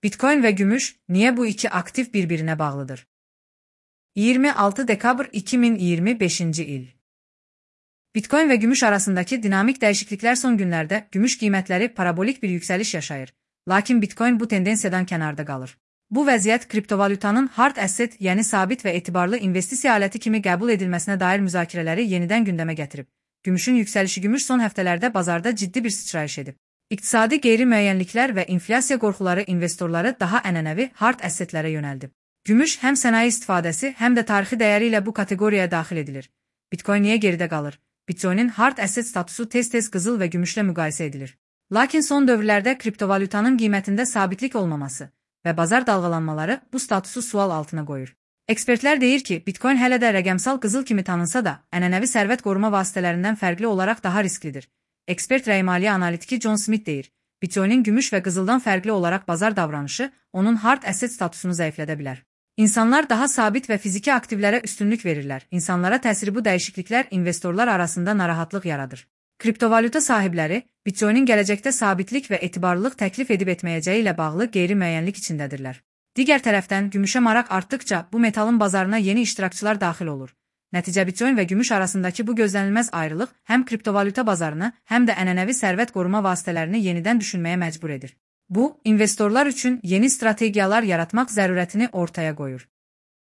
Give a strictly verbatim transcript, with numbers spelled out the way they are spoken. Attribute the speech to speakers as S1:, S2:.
S1: Bitcoin ve gümüş, niye bu iki aktif birbirine bağlıdır? yirmi altı dekabr iki bin yirmi beşinci il. Bitcoin ve gümüş arasındaki dinamik değişiklikler son günlerde gümüş qiymətləri parabolik bir yükseliş yaşayır. Lakin Bitcoin bu tendensiyadan kənarda qalır. Bu vəziyyət kriptovalyutanın hard asset, yəni sabit və etibarlı investisiya aləti kimi qəbul edilməsinə dair müzakirələri yenidən gündəmə gətirib. Gümüşün yüksəlişi gümüş son həftələrdə bazarda ciddi bir sıçrayış edib. İqtisadi qeyri-müəyyənliklər və inflyasiya qorxuları investorları daha ənənəvi hard assetlərə yönəldib. Gümüş həm sənaye istifadəsi, həm də tarixi dəyəri ilə bu kateqoriyaya daxil edilir. Bitcoin niyə geridə qalır? Bitcoin'in hard asset statusu tez-tez qızıl və gümüşlə müqayisə edilir. Lakin son dövrlərdə kriptovalyutanın qiymətində sabitlik olmaması və bazar dalğalanmaları bu statusu sual altına qoyur. Ekspertlər deyir ki, Bitcoin hələ də rəqəmsal qızıl kimi tanınsa da, ənənəvi sərvət qoruma vasitələrindən fərqli olaraq daha risklidir. Ekspert rəymaliyyə analitiki John Smith deyir, Bitcoin'in gümüş və qızıldan fərqli olaraq bazar davranışı onun hard asset statusunu zəiflədə bilər. İnsanlar daha sabit və fiziki aktivlərə üstünlük verirlər. İnsanlara təsiri bu dəyişikliklər investorlar arasında narahatlıq yaradır. Kriptovalyuta sahibləri, Bitcoin'in gələcəkdə sabitlik və etibarlılıq təklif edib etməyəcəyi ilə bağlı qeyri-müəyyənlik içindədirlər. Digər tərəfdən, gümüşə maraq artdıqca bu metalın bazarına yeni iştirakçılar daxil olur. Nəticə Bitcoin və gümüş arasındakı bu gözlənilməz ayrılıq həm kriptovalyuta bazarını, həm də ənənəvi sərvət qoruma vasitələrini yenidən düşünməyə məcbur edir. Bu, investorlar üçün yeni strategiyalar yaratmaq zərurətini ortaya qoyur.